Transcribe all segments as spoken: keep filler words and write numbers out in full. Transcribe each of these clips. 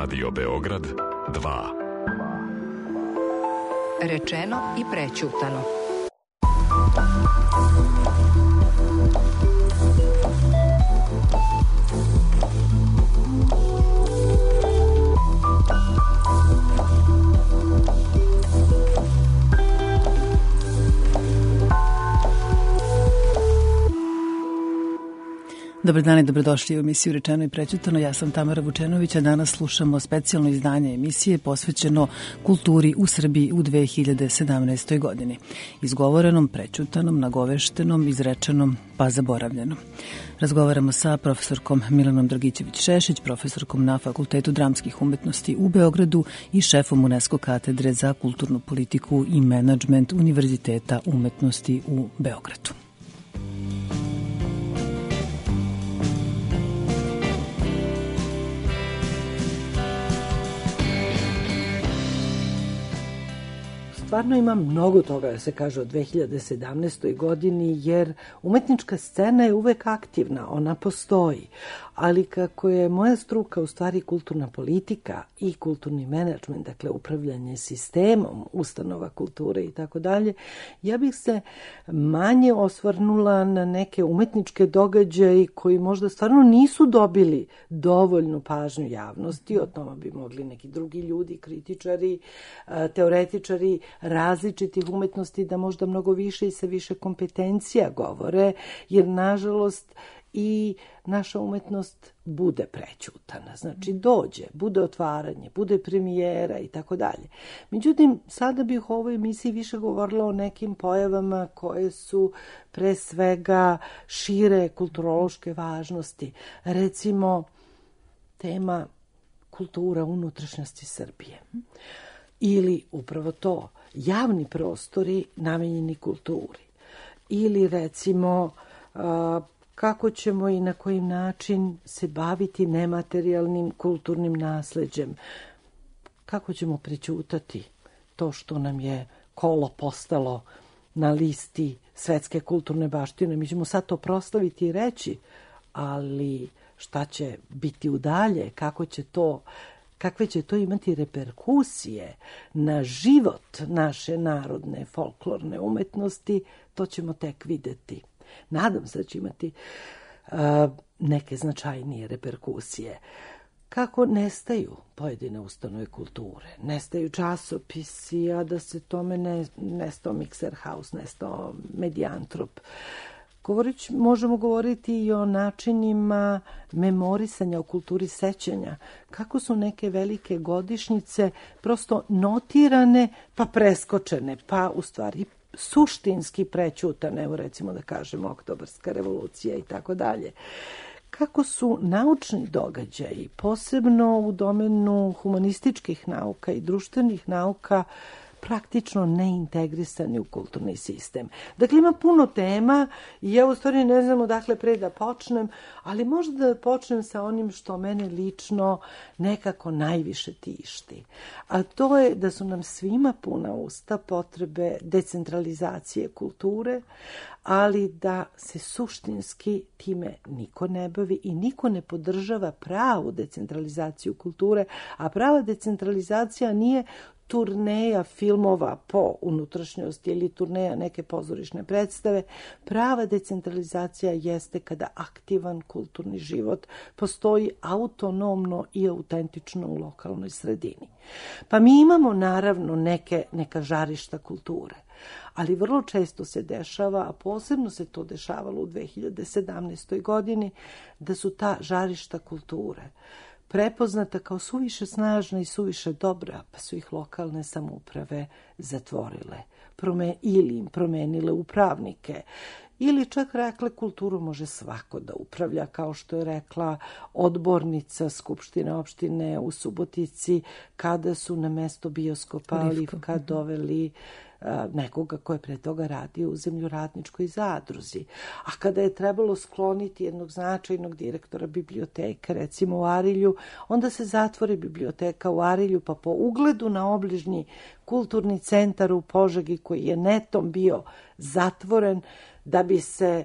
Radio Beograd dva. Rečeno i prećutano. Dobar dan i dobrodošli u emisiju Rečeno i prećutano. Ja sam Tamara Vučenović, a danas slušamo specijalno izdanje emisije posvećeno kulturi u Srbiji u dve hiljade sedamnaestoj. godini. Izgovorenom, prećutanom, nagoveštenom, izrečenom pa zaboravljenom. Razgovaramo sa profesorkom Milanom Dragićević-Šešić, profesorkom na Fakultetu dramskih umetnosti u Beogradu i šefom UNESCO katedre za kulturnu politiku i menadžment Univerziteta umetnosti u Beogradu. Stvarno ima mnogo toga da se kaže o dve hiljade sedamnaestoj. godini, jer umetnička scena je uvek aktivna, ona postoji. Ali kako je moja struka u stvari kulturna politika i kulturni menadžment, dakle upravljanje sistemom ustanova kulture i tako dalje, ja bih se manje osvrnula na neke umetničke događaje koji možda stvarno nisu dobili dovoljnu pažnju javnosti. O tome bi mogli neki drugi ljudi, kritičari, teoretičari različitih umetnosti da možda mnogo više i sa više kompetencija govore, jer nažalost i naša umetnost bude prećutana. Znači dođe, bude otvaranje, bude premijera i tako dalje. Međutim, sada bih u ovoj emisiji više govorila o nekim pojavama koje su pre svega šire kulturološke važnosti. Recimo, tema kultura unutrašnjosti Srbije. Ili upravo to, javni prostori namenjeni kulturi. Ili recimo kako ćemo i na koji način se baviti nematerijalnim kulturnim nasleđem. Kako ćemo prećutati to što nam je kolo postalo na listi svetske kulturne baštine. Mi ćemo sad to proslaviti i reći, ali šta će biti udalje, kako će to... kakve će to imati reperkusije na život naše narodne folklorne umetnosti, to ćemo tek videti. Nadam se da će imati uh, neke značajnije reperkusije. Kako nestaju pojedine ustanove kulture, nestaju časopisi, a da se tome ne, nestao Mixer House, nestao Medijantrop. Govorić, možemo govoriti i o načinima memorisanja, o kulturi sećanja. Kako su neke velike godišnjice prosto notirane pa preskočene, pa u stvari suštinski prećutane, evo recimo da kažemo Oktobarska revolucija i tako dalje. Kako su naučni događaji, posebno u domenu humanističkih nauka i društvenih nauka, praktično neintegrisani u kulturni sistem. Dakle, ima puno tema i ja u stvari ne znam odakle pre da počnem, ali možda da počnem sa onim što mene lično nekako najviše tišti. A to je da su nam svima puna usta potrebe decentralizacije kulture, ali da se suštinski time niko ne bavi i niko ne podržava pravu decentralizaciju kulture, a prava decentralizacija nije turneja filmova po unutrašnjosti ili turneja neke pozorišne predstave. Prava decentralizacija jeste kada aktivan kulturni život postoji autonomno i autentično u lokalnoj sredini. Pa mi imamo naravno neke, neka žarišta kulture, ali vrlo često se dešava, a posebno se to dešavalo u dve hiljade sedamnaestoj. godini, da su ta žarišta kulture prepoznata kao suviše snažna i suviše dobra, pa su ih lokalne samouprave zatvorile Prome, ili im promenile upravnike. Ili čak rekle kulturu može svako da upravlja, kao što je rekla odbornica Skupštine opštine u Subotici, kada su na mesto bioskopa Livka doveli nekoga ko je pre toga radio u zemljoradničkoj zadruzi. A kada je trebalo skloniti jednog značajnog direktora biblioteke, recimo u Arilju, onda se zatvori biblioteka u Arilju, pa po ugledu na obližnji kulturni centar u Požegi, koji je netom bio zatvoren, da bi se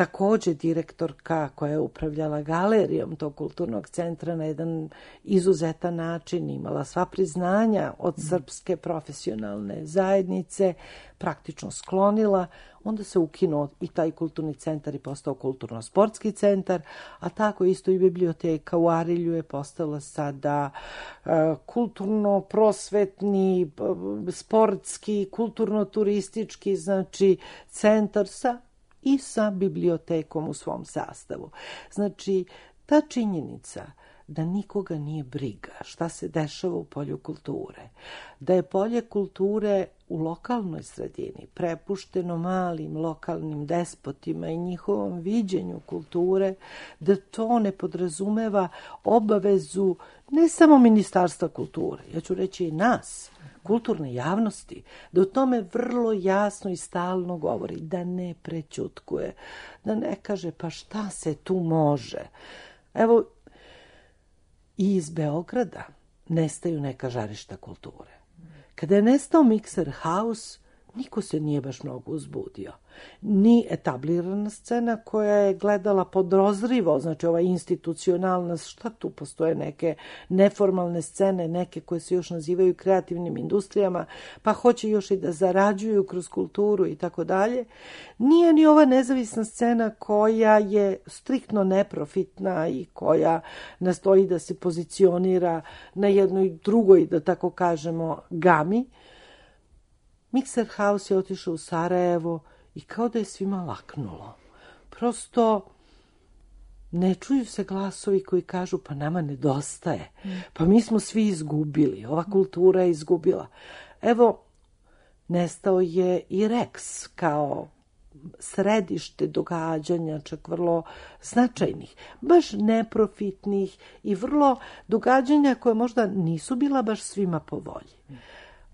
takođe direktorka koja je upravljala galerijom tog kulturnog centra na jedan izuzetan način, imala sva priznanja od srpske profesionalne zajednice, praktično sklonila, onda se ukinuo i taj kulturni centar i postao kulturno-sportski centar, a tako isto i biblioteka u Arilju je postala sada uh, kulturno-prosvetni, sportski, kulturno-turistički, znači centar sa i sa bibliotekom u svom sastavu. Znači, ta činjenica da nikoga nije briga šta se dešava u polju kulture, da je polje kulture u lokalnoj sredini prepušteno malim lokalnim despotima i njihovom viđenju kulture, da to ne podrazumeva obavezu ne samo Ministarstva kulture, ja ću reći i nas, kulturne javnosti, da o tome vrlo jasno i stalno govori, da ne prećutkuje, da ne kaže pa šta se tu može. Evo, i iz Beograda nestaju neka žarišta kulture. Kada je nestao Mikser House, niko se nije baš mnogo uzbudio. Ni etablirana scena koja je gledala podozrivo, znači ova institucionalna, šta tu postoje neke neformalne scene, neke koje se još nazivaju kreativnim industrijama, pa hoće još i da zarađuju kroz kulturu i tako dalje. Nije ni ova nezavisna scena koja je striktno neprofitna i koja nastoji da se pozicionira na jednoj drugoj, da tako kažemo, gami. Mikser House je otišao u Sarajevo i kao da je svima laknulo. Prosto ne čuju se glasovi koji kažu pa nama nedostaje, pa mi smo svi izgubili, ova kultura je izgubila. Evo, nestao je i Rex kao središte događanja, čak vrlo značajnih, baš neprofitnih i vrlo događanja koje možda nisu bila baš svima po volji.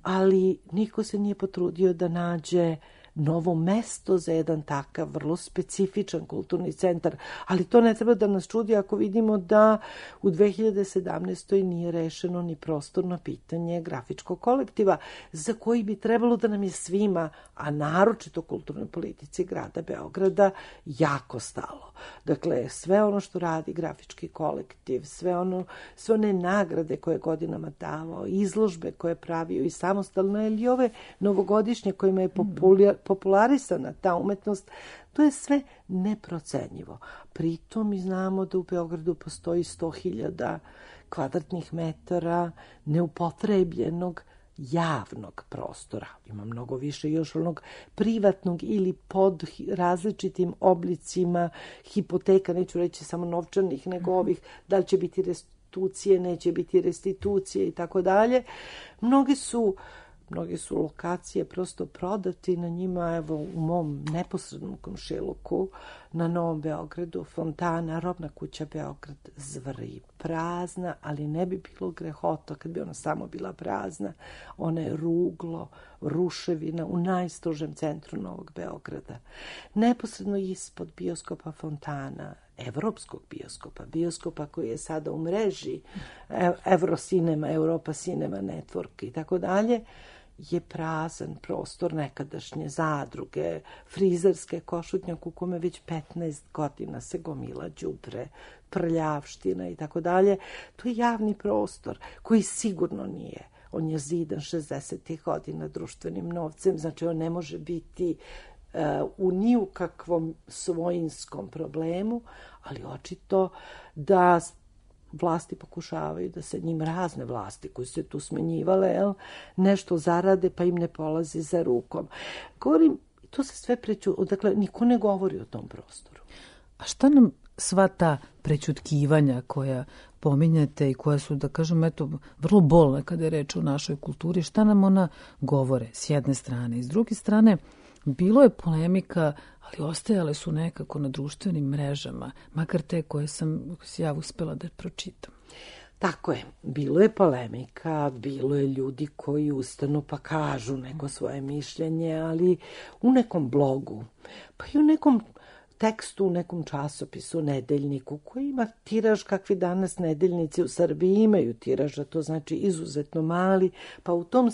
Ali niko se nije potrudio da nađe novo mesto za jedan takav vrlo specifičan kulturni centar, ali to ne treba da nas čudi ako vidimo da u dve hiljade sedamnaestoj nije rešeno ni prostorno pitanje grafičkog kolektiva, za koji bi trebalo da nam je svima, a naročito kulturnoj politici grada Beograda, jako stalo. Dakle, sve ono što radi grafički kolektiv, sve ono, sve one nagrade koje je godinama davao, izložbe koje je pravio i samostalno, ili ove novogodišnje kojima je popular, popularisana ta umetnost, to je sve neprocenjivo. Pritom mi znamo da u Beogradu postoji sto hiljada kvadratnih metara neupotrebljenog javnog prostora. Ima mnogo više još onog privatnog ili pod različitim oblicima hipoteka, neću reći samo novčanih, nego ovih, da li će biti restitucije, neće biti restitucije i tako dalje. Mnogi su Mnoge su lokacije prosto prodati, na njima, evo, u mom neposrednom komšiluku, na Novom Beogradu, fontana, robna kuća Beograd zvri, prazna, ali ne bi bilo grehota kad bi ona samo bila prazna. Ona je ruglo, ruševina u najstrožem centru Novog Beograda. Neposredno ispod bioskopa fontana, evropskog bioskopa, bioskopa koji je sada u mreži Eurocinema, Europa Cinema Network i tako dalje, je prazan prostor nekadašnje zadruge, frizerske, Košutnjak u kome već petnaest godina se gomila đubre, prljavština i tako dalje. To je javni prostor koji sigurno nije. On je zidan šezdesetih godina društvenim novcem, znači on ne može biti uh, u ni u kakvom svojinskom problemu, ali očito da vlasti pokušavaju da se njim, razne vlasti koje se tu smenjivale, jel, nešto zarade pa im ne polazi za rukom. Govorim, to se sve preću, dakle, niko ne govori o tom prostoru. A šta nam sva ta prećutkivanja koja pominjete i koja su, da kažem, eto, vrlo bolne kada je reč o našoj kulturi, šta nam ona govore s jedne strane? I s druge strane, bilo je polemika, ali ostajale su nekako na društvenim mrežama, makar te koje sam ja uspela da pročitam. Tako je, bilo je polemika, bilo je ljudi koji ustanu pa kažu neko svoje mišljenje, ali u nekom blogu, pa i u nekom tekstu, u nekom časopisu, nedeljniku, koji ima tiraž kakvi danas nedeljnici u Srbiji imaju tiraž, a to znači izuzetno mali, pa u tom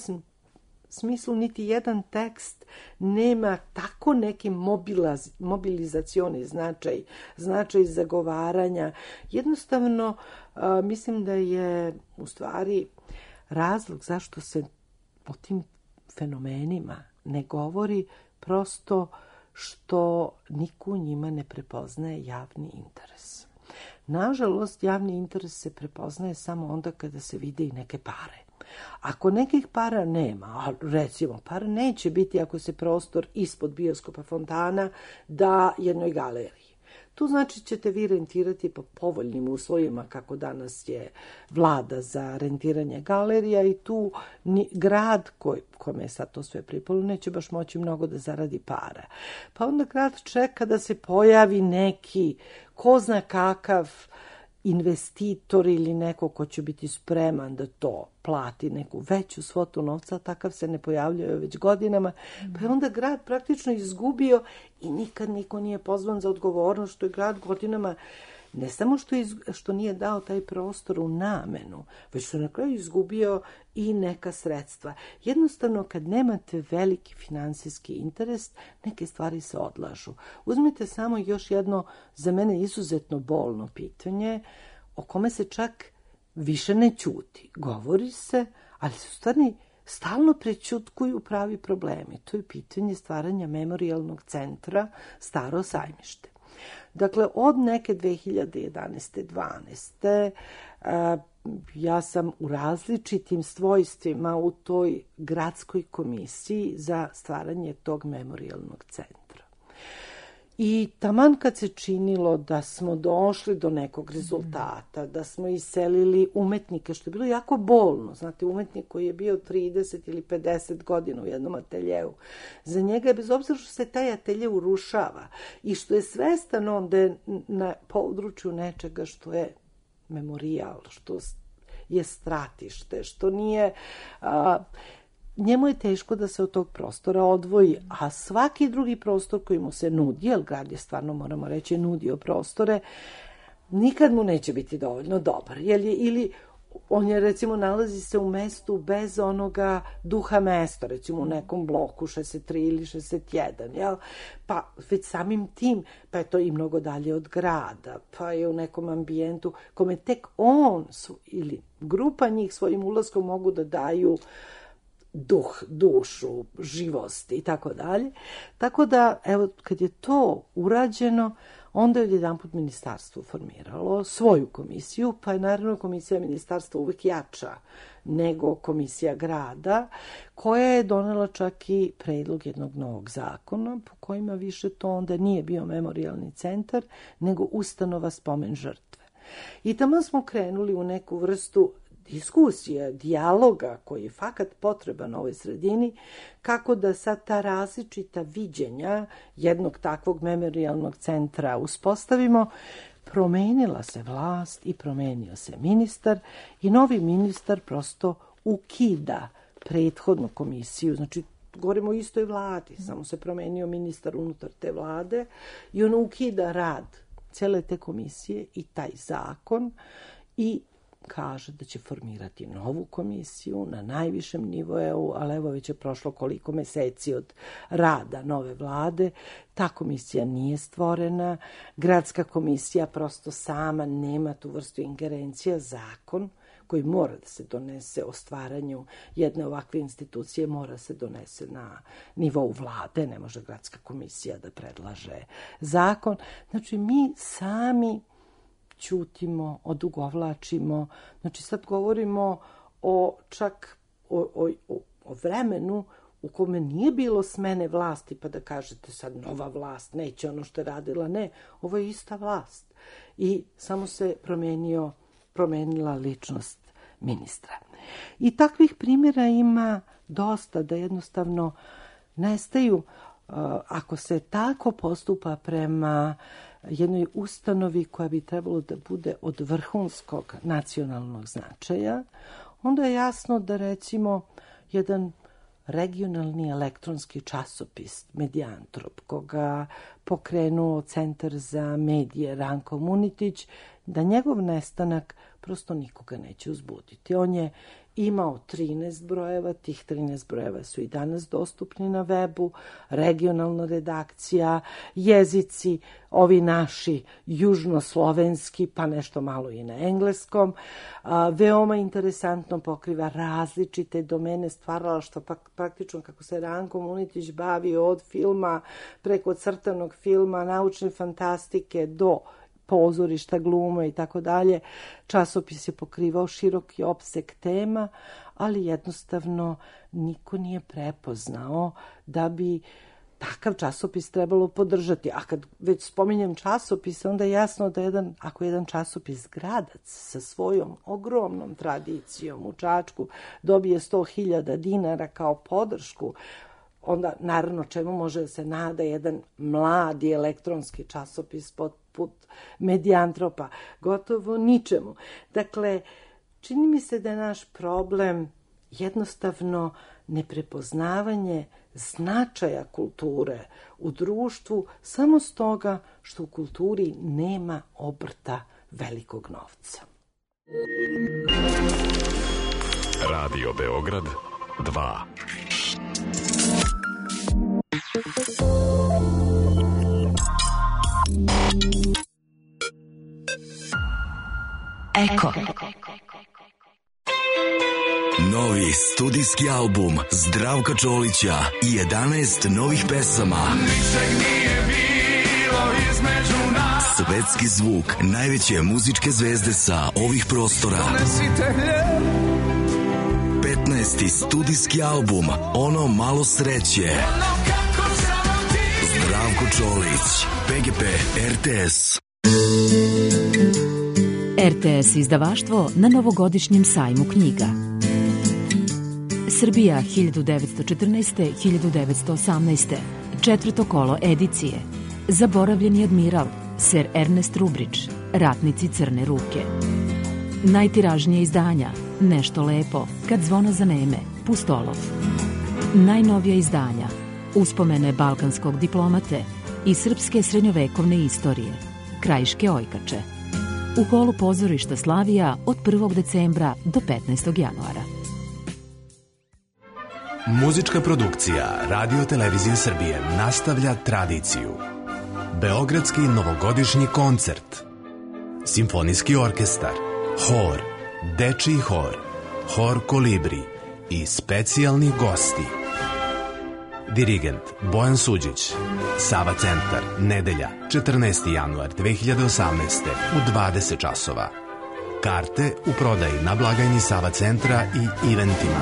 smislu niti jedan tekst nema tako neki mobilaz, mobilizacioni značaj, značaj zagovaranja. Jednostavno, a, mislim da je u stvari razlog zašto se o tim fenomenima ne govori prosto što niko u njima ne prepoznaje javni interes. Nažalost, javni interes se prepoznaje samo onda kada se vide i neke pare. Ako nekih para nema, a recimo para neće biti ako se prostor ispod bioskopa fontana da jednoj galeriji. Tu znači ćete vi rentirati po povoljnim uslovima kako danas je vlada za rentiranje galerija i tu ni, grad koji, kome je sad to sve pripalo neće baš moći mnogo da zaradi para. Pa onda grad čeka da se pojavi neki ko zna kakav investitor ili neko ko će biti spreman da to plati neku veću svotu novca, takav se ne pojavljaju već godinama, pa je onda grad praktično izgubio i nikad niko nije pozvan za odgovornost što je grad godinama ne samo što, iz, što nije dao taj prostor u namenu, već što na kraju izgubio i neka sredstva. Jednostavno, kad nemate veliki finansijski interes, neke stvari se odlažu. Uzmite samo još jedno, za mene izuzetno bolno pitanje, o kome se čak više ne ćuti. Govori se, ali su stvarni stalno prećutkuju pravi problemi. To je pitanje stvaranja memorijalnog centra Staro Sajmište. Dakle, od neke dve hiljade jedanaeste dvanaeste a, ja sam u različitim svojstvima u toj gradskoj komisiji za stvaranje tog memorijalnog centra. I taman kad se činilo da smo došli do nekog rezultata, da smo iselili umetnike, što je bilo jako bolno, znate, umetnik koji je bio trideset ili pedeset godina u jednom ateljeu, za njega je bez obzira što se taj atelje urušava i što je svestan on da je na području nečega što je memorijal, što je stratište, što nije... A, njemu je teško da se od tog prostora odvoji, a svaki drugi prostor koji mu se nudi, jer grad je stvarno, moramo reći, nudio prostore, nikad mu neće biti dovoljno dobar. Jer je, ili on je, recimo, nalazi se u mestu bez onoga duha mesta, recimo u nekom bloku šezdeset tri ili šezdeset jedan, jel? Pa već samim tim, pa je to i mnogo dalje od grada, pa je u nekom ambijentu kome tek on su, ili grupa njih svojim ulaskom mogu da daju duh, dušu, živost i tako dalje. Tako da, evo, kad je to urađeno, onda je jedanput ministarstvo formiralo svoju komisiju, pa je naravno komisija ministarstva uvek jača nego komisija grada, koja je donela čak i predlog jednog novog zakona, po kojima više to onda nije bio memorijalni centar, nego ustanova spomen žrtve. I tamo smo krenuli u neku vrstu diskusije, dijaloga koji je fakat potreban ovoj sredini, kako da sad ta različita viđenja jednog takvog memorijalnog centra uspostavimo. Promenila se vlast i promenio se ministar i novi ministar prosto ukida prethodnu komisiju, znači govorimo o istoj vladi, samo se promenio ministar unutar te vlade i on ukida rad cele te komisije i taj zakon i kaže da će formirati novu komisiju na najvišem nivou, ali evo već je prošlo koliko meseci od rada nove vlade. Ta komisija nije stvorena. Gradska komisija prosto sama nema tu vrstu ingerencija. Zakon koji mora da se donese o stvaranju jedne ovakve institucije mora se donese na nivou vlade. Ne može gradska komisija da predlaže zakon. Znači, mi sami ćutimo, odugovlačimo. Znači, sad govorimo o čak o, o, o vremenu u kome nije bilo smene vlasti, pa da kažete sad nova vlast, neće ono što je radila. Ne, ovo je ista vlast. I samo se promenio, promenila ličnost ministra. I takvih primjera ima dosta, da jednostavno nestaju, ako se tako postupa prema jednoj ustanovi koja bi trebalo da bude od vrhunskog nacionalnog značaja, onda je jasno da, recimo, jedan regionalni elektronski časopis Medijantrop, koga pokrenuo Centar za medije Ranko Munitić, da njegov nestanak prosto nikoga neće uzbuditi. On je imao trinaest brojeva, tih trinaest brojeva su i danas dostupni na webu, regionalna redakcija, jezici, ovi naši južnoslovenski, pa nešto malo i na engleskom. A, veoma interesantno pokriva različite domene stvaralaštva, pa praktično kako se Ranko Munitić bavi od filma, preko crtanog filma, naučne fantastike do pozorišta, glume i tako dalje. Časopis je pokrivao široki opseg tema, ali jednostavno niko nije prepoznao da bi takav časopis trebalo podržati. A kad već spominjem časopis, onda je jasno da jedan, ako je jedan časopis Gradac sa svojom ogromnom tradicijom u Čačku dobije sto hiljada dinara kao podršku, onda naravno čemu može da se nada jedan mladi elektronski časopis poput Medijantropa? Gotovo ničemu. Dakle, čini mi se da je naš problem jednostavno neprepoznavanje značaja kulture u društvu samo stoga što u kulturi nema obrta velikog novca. Radio Beograd dva. Eko. Novi studijski album Zdravka Čolića i jedanaest novih pesama. Ničeg nije bilo između nas. Svetski zvuk najveće muzičke zvezde sa ovih prostora. petnaesti studijski album Ono malo sreće. Zdravko Čolić, P G P, R T S. R T S izdavaštvo na novogodišnjem sajmu knjiga. Srbija hiljadu devetsto četrnaeste do hiljadu devetsto osamnaeste. Četvrto kolo edicije. Zaboravljeni admiral, Ser Ernest Rubrić, Ratnici crne ruke. Najtiražnije izdanja, Nešto lepo, Kad zvona zaneme, Pustolov. Najnovija izdanja, Uspomene balkanskog diplomate i srpske srednjovekovne istorije, Krajiške ojkače. U holu pozorišta Slavija od prvog decembra do petnaestog januara. Muzička produkcija Radio Televizije Srbije nastavlja tradiciju. Beogradski novogodišnji koncert, Simfonijski orkestar, Hor, Dečiji hor, Hor Kolibri i specijalni gosti. Dirigent Bojan Suđić. Sava centar, nedelja, četrnaesti januar dve hiljade osamnaeste u dvadeset časova. Karte u prodaji na blagajni Sava centra i eventima.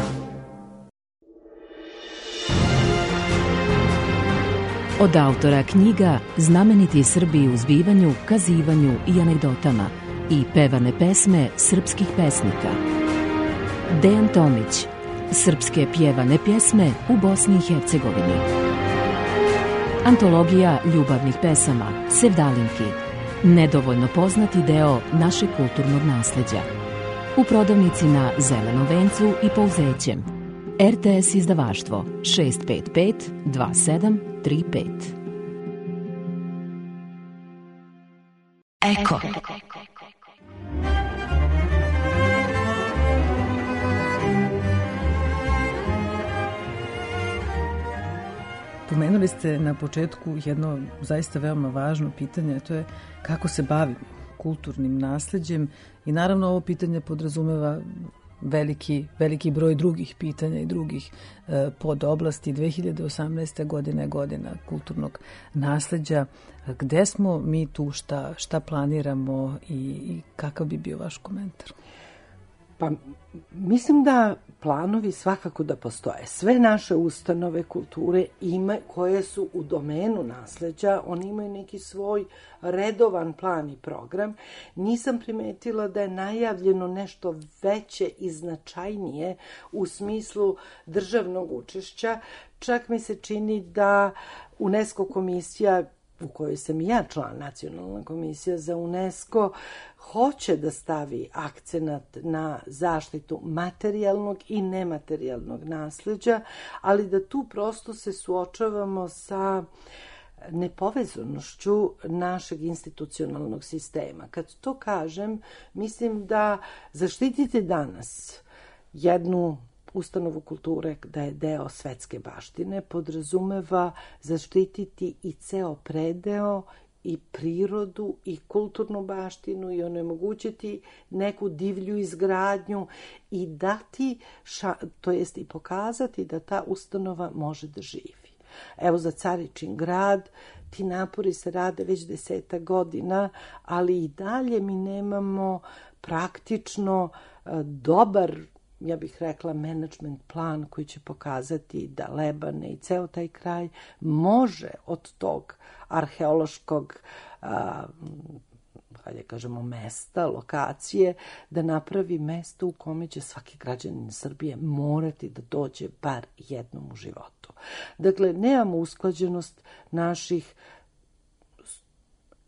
Od autora knjiga Znameniti Srbi u zbivanju, kazivanju i anegdotama i pevane pesme srpskih pesnika. Dejan Tomić. Srpske pjevane pjesme u Bosni i Hercegovini. Antologija ljubavnih pesama Sevdalinki. Nedovoljno poznati deo našeg kulturnog nasleđa. U prodavnici na Zelenom vencu i Pouzećem. R T S izdavaštvo šest pet pet dva sedam tri pet. Eko. Pomenuli ste na početku jedno zaista veoma važno pitanje, a to je kako se bavimo kulturnim nasleđem i naravno ovo pitanje podrazumeva veliki, veliki broj drugih pitanja i drugih e, podoblasti. dve hiljade osamnaesta. godina je godina kulturnog nasleđa. Gde smo mi tu, šta, šta planiramo i, i kakav bi bio vaš komentar? Pa mislim da planovi svakako da postoje. Sve naše ustanove kulture ima, koje su u domenu nasleđa, oni imaju neki svoj redovan plan i program. Nisam primetila da je najavljeno nešto veće i značajnije u smislu državnog učešća. Čak mi se čini da UNESCO komisija, u kojoj sam i ja član, Nacionalna komisija za UNESCO, hoće da stavi akcenat na zaštitu materijalnog i nematerijalnog nasleđa, ali da tu prosto se suočavamo sa nepovezanošću našeg institucionalnog sistema. Kad to kažem, mislim da zaštititi danas jednu ustanovu kulture da je deo svetske baštine, podrazumeva zaštititi i ceo predeo i prirodu i kulturnu baštinu i onemogućiti neku divlju izgradnju i dati, ša, to jest i pokazati da ta ustanova može da živi. Evo za Caričin grad, ti napori se rade već deseta godina, ali i dalje mi nemamo praktično dobar, ja bih rekla, management plan koji će pokazati da Lebane i ceo taj kraj može od tog arheološkog, a, hajde kažemo, mesta, lokacije, da napravi mesto u kome će svaki građanin Srbije morati da dođe bar jednom u životu. Dakle, nemamo usklađenost naših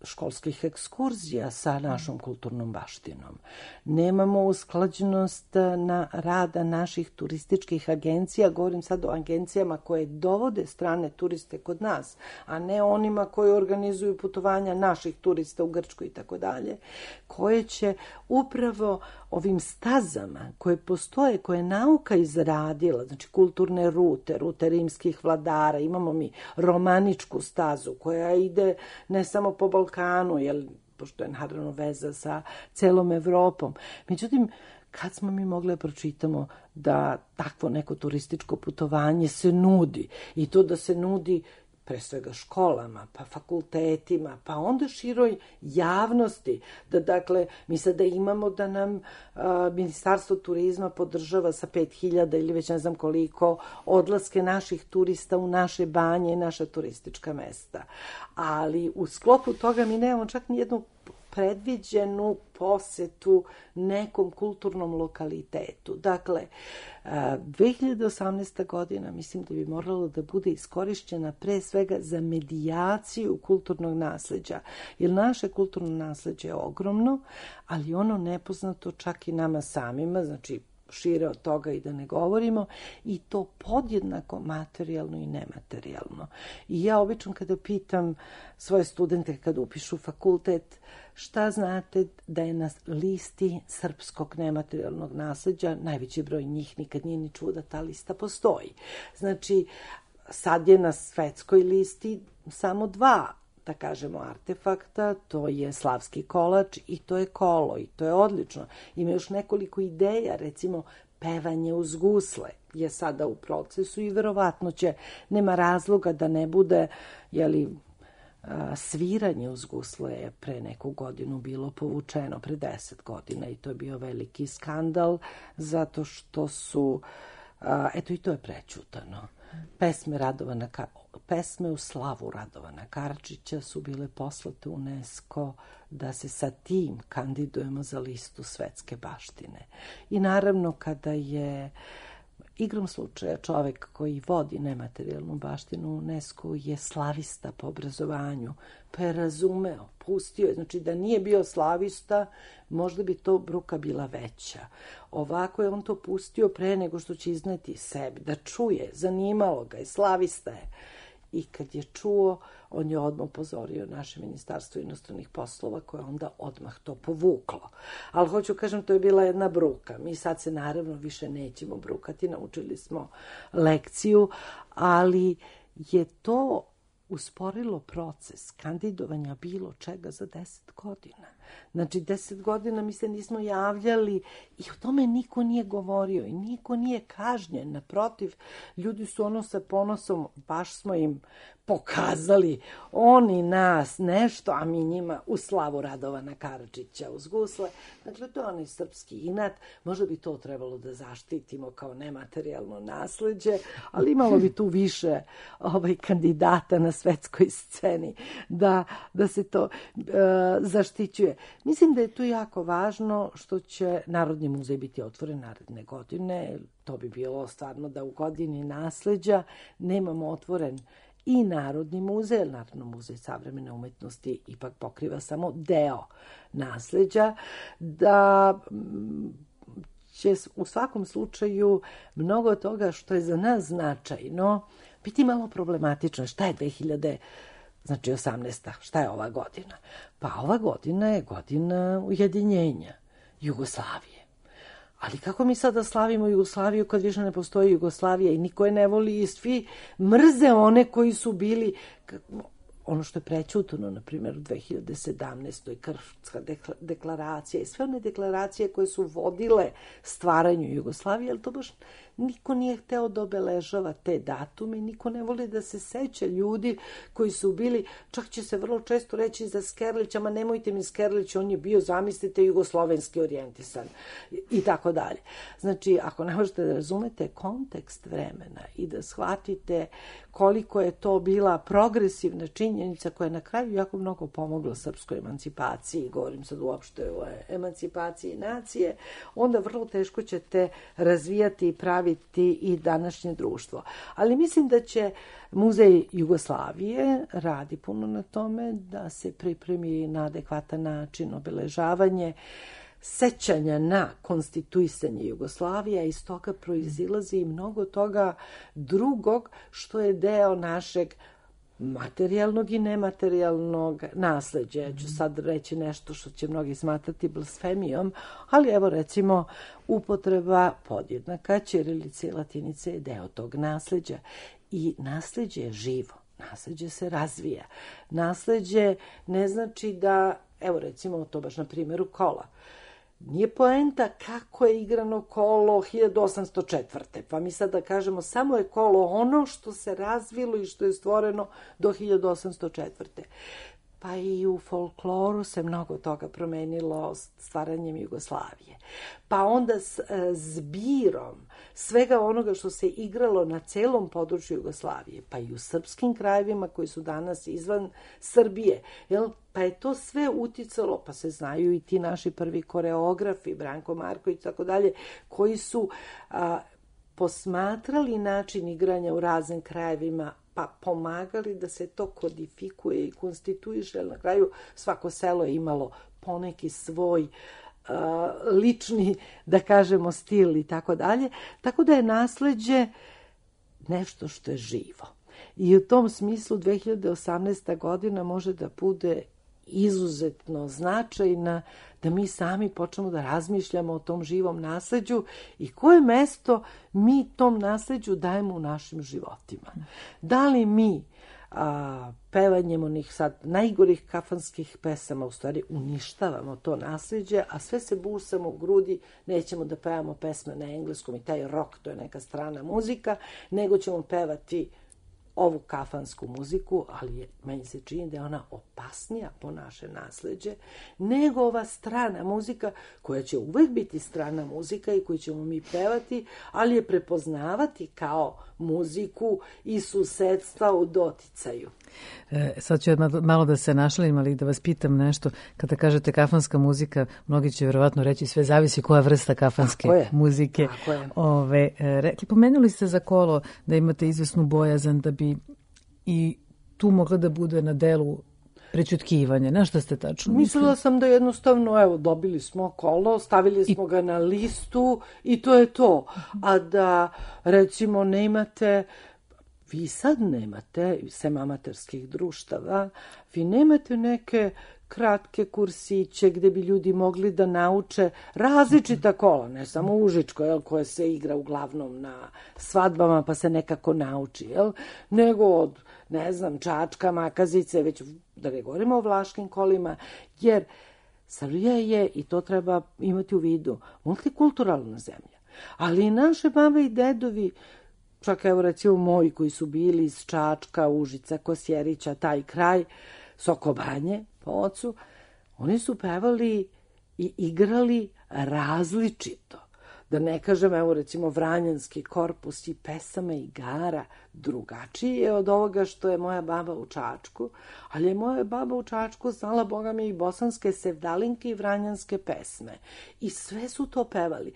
školskih ekskurzija sa našom kulturnom baštinom. Nemamo usklađenost na rada naših turističkih agencija, govorim sad o agencijama koje dovode strane turiste kod nas, a ne onima koji organizuju putovanja naših turista u Grčkoj i tako dalje, koje će upravo ovim stazama koje postoje, koje je nauka izradila, znači kulturne rute, rute rimskih vladara, imamo mi romaničku stazu koja ide ne samo po Balkanu, jer, pošto je naravno veza sa celom Evropom. Međutim, kad smo mi mogli pročitamo da takvo neko turističko putovanje se nudi i to da se nudi pre svega školama, pa fakultetima, pa onda široj javnosti, da dakle, mi sada imamo da nam a, Ministarstvo turizma podržava sa pet hiljada ili već ne znam koliko odlaske naših turista u naše banje i naša turistička mesta. Ali u sklopu toga mi nemamo čak ni jednu predviđenu posetu nekom kulturnom lokalitetu. Dakle, dve hiljade osamnaesta. godina mislim da bi moralo da bude iskorišćena pre svega za medijaciju kulturnog nasleđa, jer naše kulturno nasleđe je ogromno, ali ono nepoznato čak i nama samima, znači šire od toga i da ne govorimo, i to podjednako materijalno i nematerijalno. I ja obično kada pitam svoje studente kad upišu fakultet, šta znate da je na listi srpskog nematerijalnog nasleđa, najveći broj njih nikad nije ni čuo da ta lista postoji. Znači, sad je na svetskoj listi samo dva, da kažemo, artefakta, to je slavski kolač i to je kolo i to je odlično. Ima još nekoliko ideja, recimo pevanje uz gusle je sada u procesu i verovatno će, nema razloga da ne bude, jeli, sviranje uz gusle je pre neku godinu bilo povučeno, pre deset godina, i to je bio veliki skandal zato što su, eto i to je prećutano. Pesme Radovana, pesme u slavu Radovana Karadžića su bile poslate u UNESCO da se sa tim kandidujemo za listu svetske baštine. I naravno kada je igrom slučaja čovek koji vodi nematerijalnu baštinu u UNESCO je slavista po obrazovanju, pa je razumeo, pustio je, znači da nije bio slavista, možda bi to bruka bila veća. Ovako je on to pustio pre nego što će izneti sebi, da čuje, zanimalo ga je, slavista je. I kad je čuo, on je odmah upozorio naše Ministarstvo inostranih poslova koje onda odmah to povuklo. Ali hoću kažem, to je bila jedna bruka. Mi sad se naravno više nećemo brukati, naučili smo lekciju, ali je to usporilo proces kandidovanja bilo čega za deset godina. Znači, deset godina mi se nismo javljali i o tome niko nije govorio i niko nije kažnjen. Naprotiv, ljudi su ono sa ponosom, baš smo im pokazali, oni nas nešto, a mi njima u slavu Radovana Karadžića uz gusle. Dakle, to je onaj srpski inat. Možda bi to trebalo da zaštitimo kao nematerijalno nasleđe, ali imalo bi tu više ovaj, kandidata na svetskoj sceni da, da se to uh, zaštićuje. Mislim da je tu jako važno što će Narodni muzej biti otvoren naredne godine. To bi bilo stvarno da u godini nasleđa nemamo otvoren i Narodni muzej, Narodni muzej savremene umetnosti ipak pokriva samo deo nasleđa, da će u svakom slučaju mnogo toga što je za nas značajno biti malo problematično. Šta je dve hiljade osamnaesta. Šta je ova godina? Pa ova godina je godina ujedinjenja Jugoslavije. Ali kako mi sada slavimo Jugoslaviju kad više ne postoji Jugoslavija i niko je ne voli i svi mrze one koji su bili... Ono što je prećutano, na primjer, u dve hiljade sedamnaestoj. Krfska deklaracija i sve one deklaracije koje su vodile stvaranju Jugoslavije, ali to baš niko nije hteo da obeležava te datume, niko ne voli da se seća ljudi koji su bili, čak će se vrlo često reći za Skerlića, ma nemojte mi Skerlić, on je bio, zamislite, jugoslovenski orijentisan i tako dalje. Znači, ako ne možete da razumete kontekst vremena i da shvatite koliko je to bila progresivna činjenica koja je na kraju jako mnogo pomogla srpskoj emancipaciji, govorim sad uopšte o emancipaciji nacije, onda vrlo teško ćete razvijati i praviti i današnje društvo. Ali mislim da će Muzej Jugoslavije radi puno na tome da se pripremi na adekvatan način obeležavanje sećanja na konstituisanje Jugoslavije, iz toga proizilazi i mnogo toga drugog što je deo našeg materijalnog i nematerijalnog nasleđa. Ja ću sad reći nešto što će mnogi smatrati blasfemijom, ali evo recimo upotreba podjednaka ćirilice i latinice je deo tog nasleđa. I nasleđe je živo, nasleđe se razvija. Nasleđe ne znači da, evo recimo to baš na primjeru kola, nije poenta kako je igrano kolo hiljadu osamsto četvrte. Pa mi sad da kažemo samo je kolo ono što se razvilo i što je stvoreno do hiljadu osamsto četvrte. Pa i u folkloru se mnogo toga promenilo stvaranjem Jugoslavije. Pa onda s zbirom svega onoga što se igralo na celom području Jugoslavije, pa i u srpskim krajevima koji su danas izvan Srbije, jel? Pa je to sve uticalo, pa se znaju i ti naši prvi koreografi, Branko Marković i tako dalje, koji su a, posmatrali način igranja u raznim krajevima, pa pomagali da se to kodifikuje i konstituiše, jer na kraju svako selo je imalo poneki svoj uh, lični, da kažemo, stil i tako dalje. Tako da je nasleđe nešto što je živo. I u tom smislu dve hiljade osamnaesta godina može da bude izuzetno značajna, da mi sami počnemo da razmišljamo o tom živom nasleđu i koje mesto mi tom nasleđu dajemo u našim životima. Da li mi a, pevanjem onih sad najgorih kafanskih pesama u stvari uništavamo to nasleđe, a sve se busamo u grudi, nećemo da pevamo pesme na engleskom i taj rock, to je neka strana muzika, nego ćemo pevati ovu kafansku muziku, ali je, meni se čini da je ona opasnija po naše nasleđe nego ova strana muzika koja će uvek biti strana muzika i koju ćemo mi pevati, ali je prepoznavati kao muziku i susedstva u doticaju. E, sad ću malo da se našalim, ali da vas pitam nešto. Kada kažete kafanska muzika, mnogi će vjerovatno reći sve zavisi koja vrsta kafanske Tako je. muzike. Tako je. Ove, rekli, pomenuli ste za kolo da imate izvesnu bojazan da bi i tu mogla da bude na delu prećutkivanje. Na šta ste tačno mislili? Mislila sam da jednostavno, evo, dobili smo kolo, stavili smo I... ga na listu i to je to. A da, recimo, ne imate... Vi sad nemate, sem amaterskih društava, vi nemate neke kratke kursiće gde bi ljudi mogli da nauče različita kola, ne samo užičko, jel, koje se igra uglavnom na svadbama pa se nekako nauči, jel, nego od, ne znam, Čačka, Makazice, već da ne govorimo o vlaškim kolima, jer Srbija je, i to treba imati u vidu, multikulturalna zemlja. Ali i naše babe i dedovi, čak evo recimo moji koji su bili iz Čačka, Užica, Kosjerića, taj kraj, Sokobanje po ocu, oni su pevali i igrali različito. Da ne kažem, evo recimo Vranjanski korpus i pesama i igara drugačiji je od ovoga što je moja baba u Čačku, ali je moja baba u Čačku znala, boga mi, i bosanske sevdalinke i vranjanske pesme. I sve su to pevali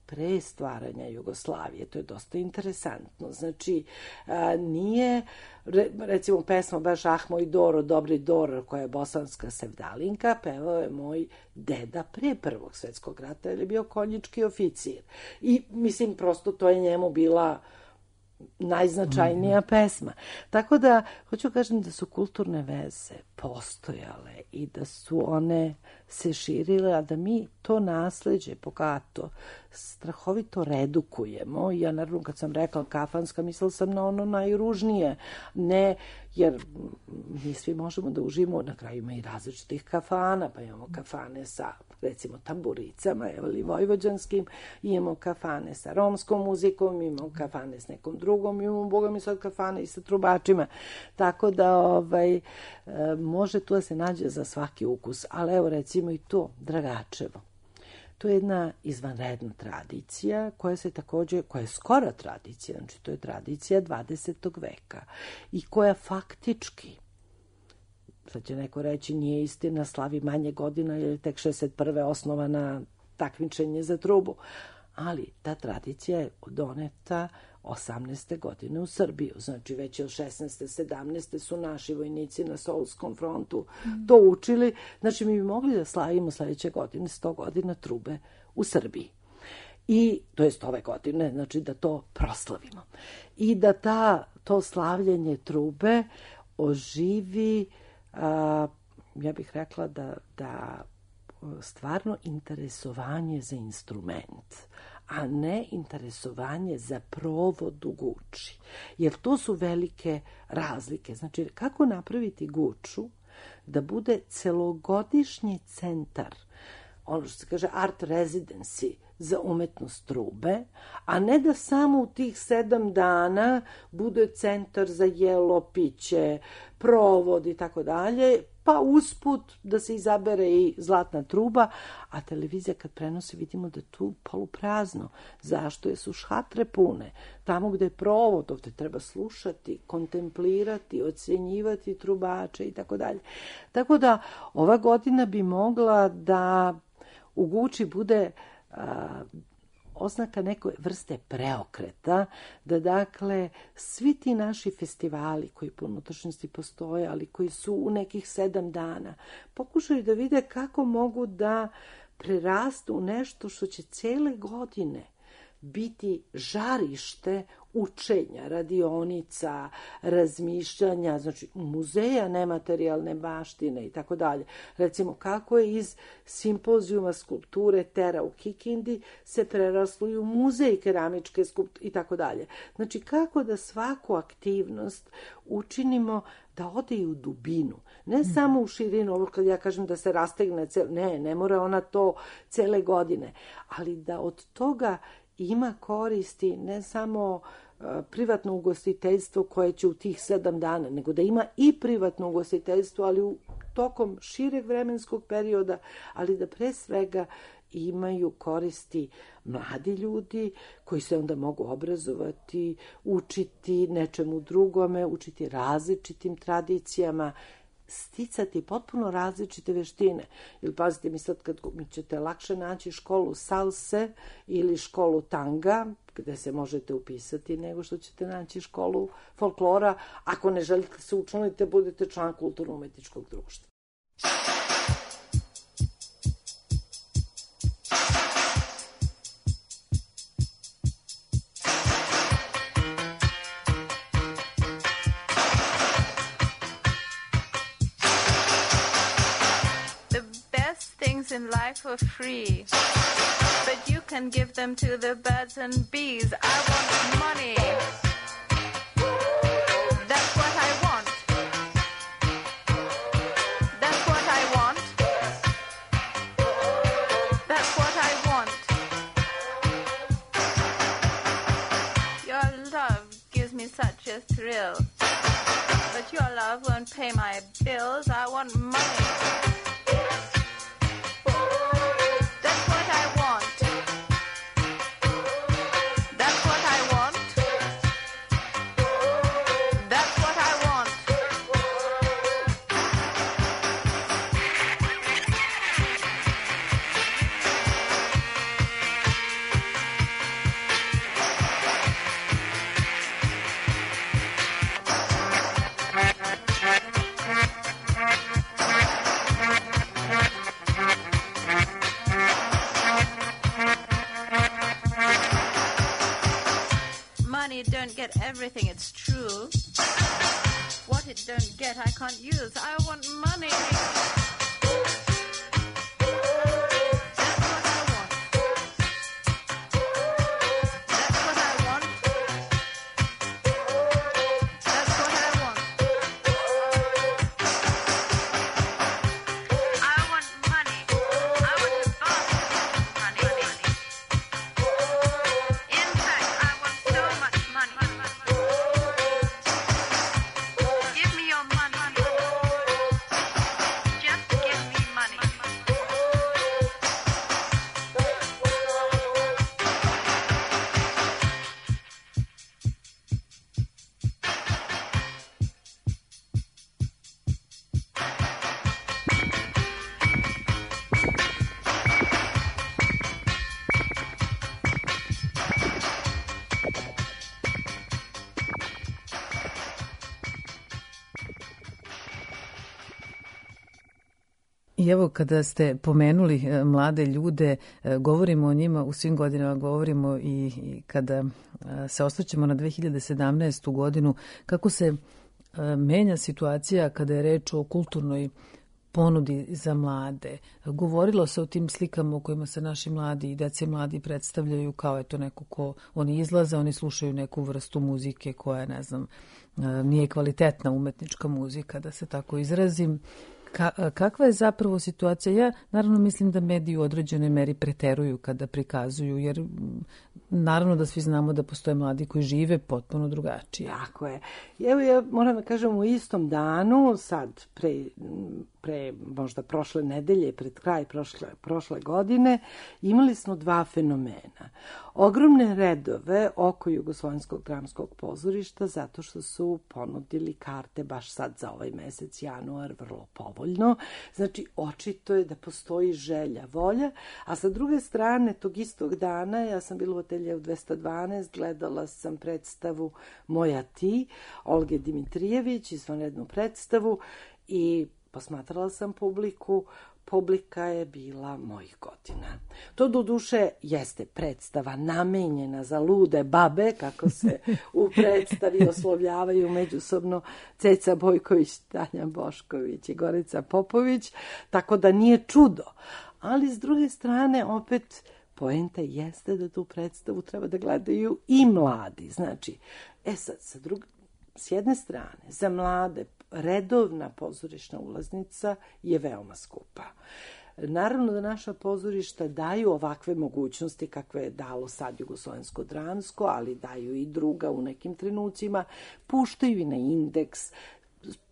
pre stvaranja Jugoslavije. To je dosta interesantno. Znači, a, nije, re, recimo, pesma baš Ah moj Doro, dobri Doro, koja je bosanska sevdalinka, pevao je moj deda pre Prvog svjetskog rata, jer je bio konjički oficir. I, mislim, prosto to je njemu bila najznačajnija mm-hmm. pesma. Tako da, hoću kažem da su kulturne veze postojale i da su one se širile, a da mi to nasleđe bogato strahovito redukujemo. Ja naravno kad sam rekla kafanska, mislila sam na ono najružnije. Ne, jer mi svi možemo da uživamo, na kraju ima i različitih kafana, pa imamo kafane sa recimo tamburicama ili vojvođanskim, imamo kafane sa romskom muzikom, imamo kafane s nekom drugom, imamo boga mi sad kafane i sa trubačima. Tako da ovaj, može tu da se nađe za svaki ukus. Ali evo recimo i to, Dragačevo. To je jedna izvanredna tradicija koja se takođe, koja je skora tradicija, znači to je tradicija dvadesetog veka i koja faktički, sad će neko reći nije istina, slavi manje godina jer je tek šezdeset prve osnovana takmičenje za trubu, ali ta tradicija je doneta osamnaeste godine u Srbiju, znači već od šesnaeste sedamnaeste su naši vojnici na Solskom frontu mm. to učili, znači mi bi mogli da slavimo sledeće godine sto godina trube u Srbiji. I to jest ove godine, znači da to proslavimo. I da ta, to slavljenje trube oživi, a, ja bih rekla da, da stvarno interesovanje za instrument, a ne interesovanje za provod u guči. Jer to su velike razlike. Znači, kako napraviti guču da bude celogodišnji centar, ono što se kaže art residency za umetnost trube, a ne da samo u tih sedam dana bude centar za jelo, piće, provod i tako dalje, pa usput da se izabere i zlatna truba, a televizija kad prenosi vidimo da je tu poluprazno. Zašto? Jer su šhatre pune. Tamo gde je provod, ovde treba slušati, kontemplirati, ocjenjivati trubače i tako dalje. Tako da ova godina bi mogla da u Guči bude a, oznaka neke vrste preokreta, da dakle svi ti naši festivali koji po unutrašnjosti postoje, ali koji su u nekih sedam dana, pokušaju da vide kako mogu da prerastu u nešto što će cele godine biti žarište učenja, radionica, razmišljanja, znači muzeja nematerijalne baštine i tako dalje. Recimo, kako je iz simpozijuma skulpture Tera u Kikindi se preraslo i u muzej keramičke skulpture i tako dalje. Znači, kako da svaku aktivnost učinimo da ode i u dubinu. Ne mm. samo u širinu, ovo kad ja kažem da se rastegne, cel... ne, ne mora ona to cele godine, ali da od toga ima koristi ne samo uh, privatno ugostiteljstvo koje će u tih sedam dana, nego da ima i privatno ugostiteljstvo, ali u tokom šireg vremenskog perioda, ali da pre svega imaju koristi mladi ljudi koji se onda mogu obrazovati, učiti nečemu drugome, učiti različitim tradicijama, sticati potpuno različite veštine. Ili pazite mi sad kad mi ćete lakše naći školu salse ili školu tanga, gde se možete upisati, nego što ćete naći školu folklora, ako ne želite se učlaniti, budete član kulturno-umetničkog društva. In life are free, but you can give them to the birds and bees. I want money. That's what I want. That's what I want. That's what I want. Your love gives me such a thrill, but your love won't pay my bills. I want money. Don't get everything, it's true. What it don't get, I can't use. I want money. I evo kada ste pomenuli mlade ljude, govorimo o njima u svim godinama, govorimo i, i kada se osvrćemo na dve hiljade sedamnaestu godinu, kako se menja situacija kada je reč o kulturnoj ponudi za mlade. Govorilo se o tim slikama u kojima se naši mladi i dece mladi predstavljaju kao eto neko ko oni izlaze, oni slušaju neku vrstu muzike koja, ne znam, nije kvalitetna umetnička muzika, da se tako izrazim. Ka, kakva je zapravo situacija? Ja naravno mislim da mediji u određenoj meri preteruju kada prikazuju, jer naravno da svi znamo da postoje mladi koji žive potpuno drugačije. Tako je. Evo ja moram da kažem, u istom danu, sad pre, pre možda prošle nedelje, pred kraj prošle, prošle godine, imali smo dva fenomena. Ogromne redove oko Jugoslovenskog dramskog pozorišta zato što su ponudili karte baš sad za ovaj mesec, januar, vrlo povoljno. Znači, očito je da postoji želja, volja, a sa druge strane, tog istog dana, ja sam bila u ateljevu dvesta dvanaest, gledala sam predstavu Moja ti, Olge Dimitrijević, izvanrednu predstavu, i posmatrala sam publiku. Publika je bila mojih godina. To do duše jeste predstava namenjena za lude babe, kako se u predstavi oslovljavaju međusobno Ceca Bojković, Tanja Bošković i Gorica Popović, tako da nije čudo. Ali s druge strane, opet, poenta jeste da tu predstavu treba da gledaju i mladi. Znači, e sad, sa druge, s jedne strane, za mlade redovna pozorišna ulaznica je veoma skupa. Naravno da naša pozorišta daju ovakve mogućnosti kakve je dalo sad Jugoslovensko dramsko, ali daju i druga u nekim trenucima, puštaju i na indeks.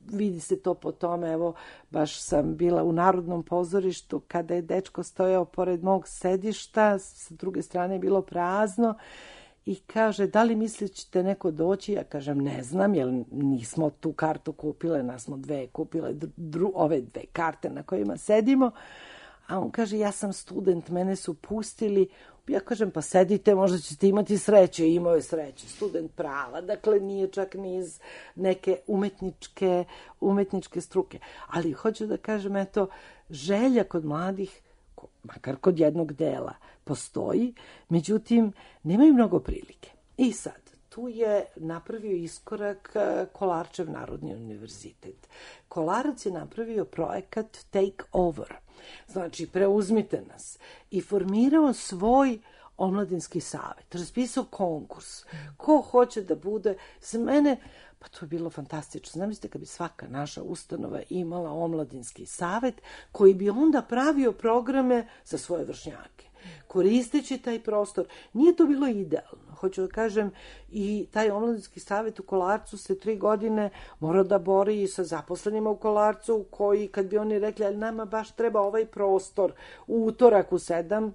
Vidi se to po tome, evo, baš sam bila u Narodnom pozorištu kada je dečko stojao pored mog sedišta, sa druge strane je bilo prazno, i kaže, da li mislite ćete neko doći? Ja kažem, ne znam, jer nismo tu kartu kupile, nas smo dve kupile, dru, ove dve karte na kojima sedimo. A on kaže, ja sam student, mene su pustili. Ja kažem, pa sedite, možda ćete imati sreće. I imao je sreće, student prava. Dakle, nije čak ni iz neke umetničke, umetničke struke. Ali hoću da kažem, eto, želja kod mladih, makar kod jednog dela, postoji, međutim, nemaju mnogo prilike. I sad, tu je napravio iskorak Kolarčev Narodni univerzitet. Kolarac je napravio projekat Take Over, znači preuzmite nas, i formirao svoj omladinski savet, raspisao konkurs. Ko hoće da bude, za mene, pa to je bilo fantastično. Zamislite kad bi svaka naša ustanova imala omladinski savet koji bi onda pravio programe za svoje vršnjake. Koristeći taj prostor. Nije to bilo idealno. Hoću da kažem, i taj omladinski savet u Kolarcu se tri godine mora da bori i sa zaposlenima u Kolarcu, koji kad bi oni rekli, ali nama baš treba ovaj prostor u utorak u sedam,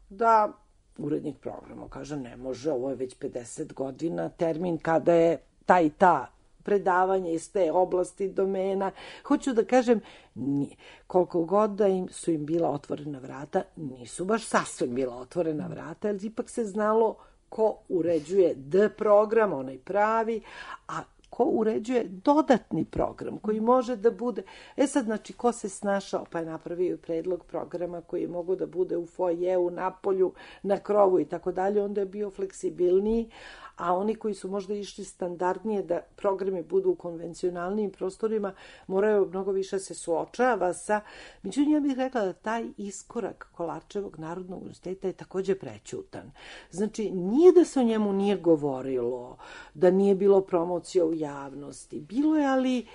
da urednik programa kaže, ne može, ovo je već pedeset godina, termin kada je ta i ta predavanje iz te oblasti domena. Hoću da kažem, nije. Koliko god da im su im bila otvorena vrata, nisu baš sasvim bila otvorena vrata, ali ipak se znalo ko uređuje D program, onaj pravi, a ko uređuje dodatni program koji može da bude... E sad, znači, ko se snašao pa je napravio predlog programa koji je mogo da bude u foajeu, na polju, na krovu i tako dalje, onda je bio fleksibilniji, a oni koji su možda išli standardnije da programi budu u konvencionalnim prostorima, moraju mnogo više se suočava sa... Međutim, ja bih rekla da taj iskorak Kolarčevog Narodnog univerziteta je takođe prećutan. Znači, nije da se o njemu nije govorilo, da nije bilo promocija u javnosti. Bilo je, ali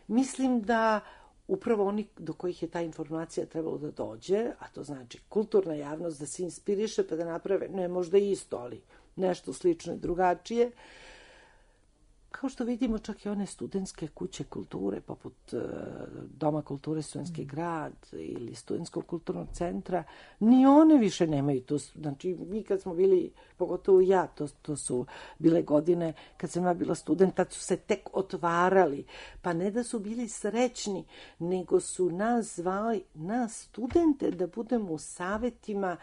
mislim da upravo oni do kojih je ta informacija trebalo da dođe, a to znači kulturna javnost, da se inspiriše pa da naprave, ne možda isto, ali nešto slično i drugačije. Kao što vidimo, čak i one studentske kuće kulture, poput uh, Doma kulture Studentski grad ili Studentskog kulturnog centra, ni one više nemaju to. Znači, mi kad smo bili, pogotovo ja, to, to su bile godine, kad sam ja bila student, tad su se tek otvarali. Pa ne da su bili srećni, nego su nas zvali, nas studente, da budemo u savetima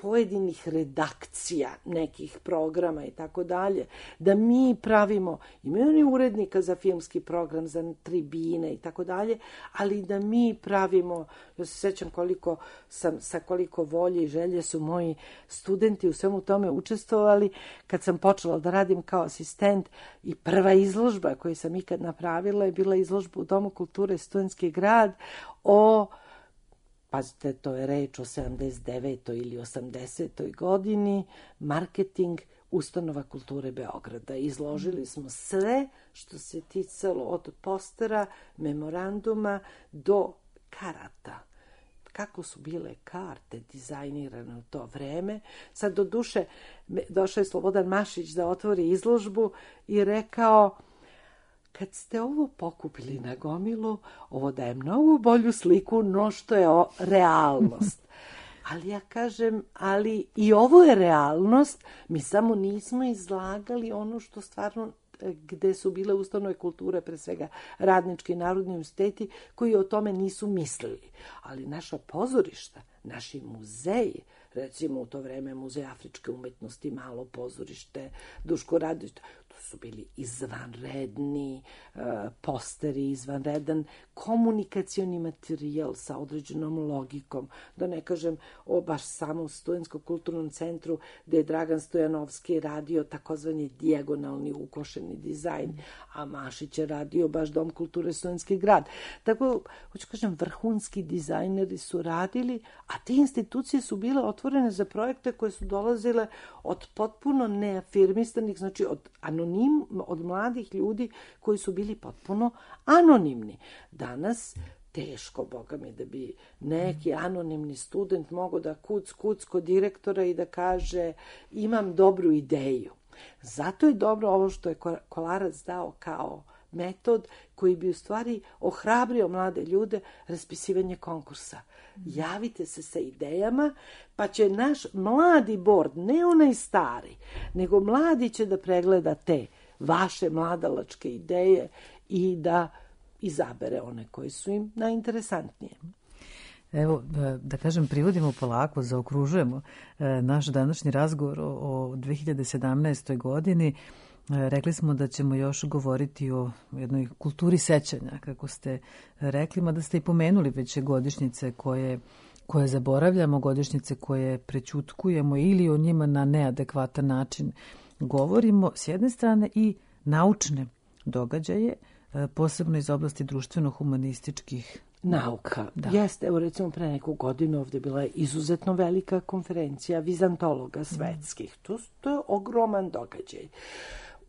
pojedinih redakcija, nekih programa i tako dalje, da mi pravimo, imaju oni urednika za filmski program, za tribine i tako dalje, ali da mi pravimo, ja se sećam koliko sam, sa koliko volje i želje su moji studenti u svemu tome učestvovali, kad sam počela da radim kao asistent i prva izložba koju sam ikad napravila je bila izložba u Domu kulture Studentski grad o, pazite, to je reč o sedamdeset devetoj ili osamdesetoj godini, marketing ustanova kulture Beograda. Izložili smo sve što se ticalo od postera, memoranduma do karata. Kako su bile karte dizajnirane u to vreme. Sad do duše došao je Slobodan Mašić da otvori izložbu i rekao, kad ste ovo pokupili na gomilu, ovo daje mnogo bolju sliku no što je o, realnost. Ali ja kažem, ali i ovo je realnost, mi samo nismo izlagali ono što stvarno, gde su bile ustanove kulture, pre svega radnički i narodni univerziteti, koji o tome nisu mislili. Ali naša pozorišta, naši muzeji, recimo u to vreme Muzej afričke umetnosti, Malo pozorište, Duško Radović, to su bili izvanredni uh, posteri, izvanredan komunikacioni materijal sa određenom logikom, da ne kažem o baš samom Studentskom kulturnom centru gde je Dragan Stojanovski radio takozvani dijagonalni ukošeni dizajn, a Mašić je radio baš Dom kulture Studentski grad. Tako, hoću kažem, vrhunski dizajneri su radili, a te institucije su bile otvorene za projekte koje su dolazile od potpuno neafirmistanih, znači od anonim, od mladih ljudi koji su bili potpuno anonimni. Danas teško, boga mi, da bi neki anonimni student mogao da kuc, kuc kod direktora i da kaže imam dobru ideju. Zato je dobro ovo što je Kolarac dao kao metod koji bi u stvari ohrabrio mlade ljude, raspisivanje konkursa. Javite se sa idejama, pa će naš mladi bord, ne onaj stari, nego mladi će da pregleda te vaše mladalačke ideje i da izabere one koje su im najinteresantnije. Evo, da kažem, privodimo polako, zaokružujemo naš današnji razgovor o dve hiljade sedamnaestoj godini. Rekli smo da ćemo još govoriti o jednoj kulturi sećanja, kako ste rekli, mada ste i pomenuli već godišnjice koje, koje zaboravljamo, godišnjice koje prećutkujemo ili o njima na neadekvatan način govorimo, s jedne strane, i naučne događaje, posebno iz oblasti društveno-humanističkih nauka. Da. Jeste, evo recimo pre neku godinu ovde bila je izuzetno velika konferencija vizantologa svetskih. Mm. To, to je ogroman događaj.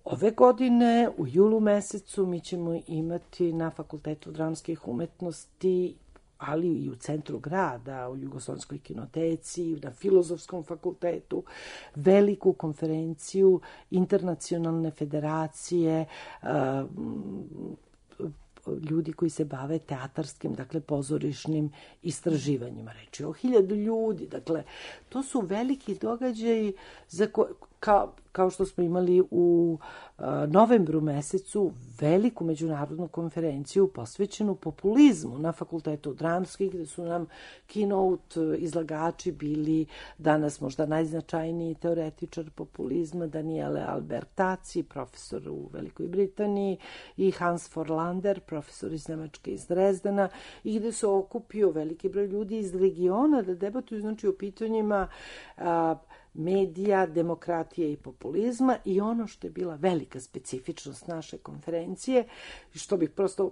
Ove godine, u julu mesecu, mi ćemo imati na Fakultetu dramskih umetnosti, ali i u centru grada, u Jugoslovenskoj kinoteci, na Filozofskom fakultetu, veliku konferenciju internacionalne federacije, ljudi koji se bave teatarskim, dakle pozorišnim istraživanjima. Reči o hiljadu ljudi. Dakle, to su veliki događaji za ko, kao, kao što smo imali u uh, novembru mesecu veliku međunarodnu konferenciju posvećenu populizmu na Fakultetu dramskih, gde su nam keynote izlagači bili danas možda najznačajniji teoretičar populizma Daniele Albertazzi, profesor u Velikoj Britaniji, i Hans Forlander, profesor iz Nemačke, iz Drezdena, i gde se okupio veliki broj ljudi iz regiona da debatuju, znači, o pitanjima a, medija, demokratije i populizma. I ono što je bila velika specifičnost naše konferencije, što bih prosto uh,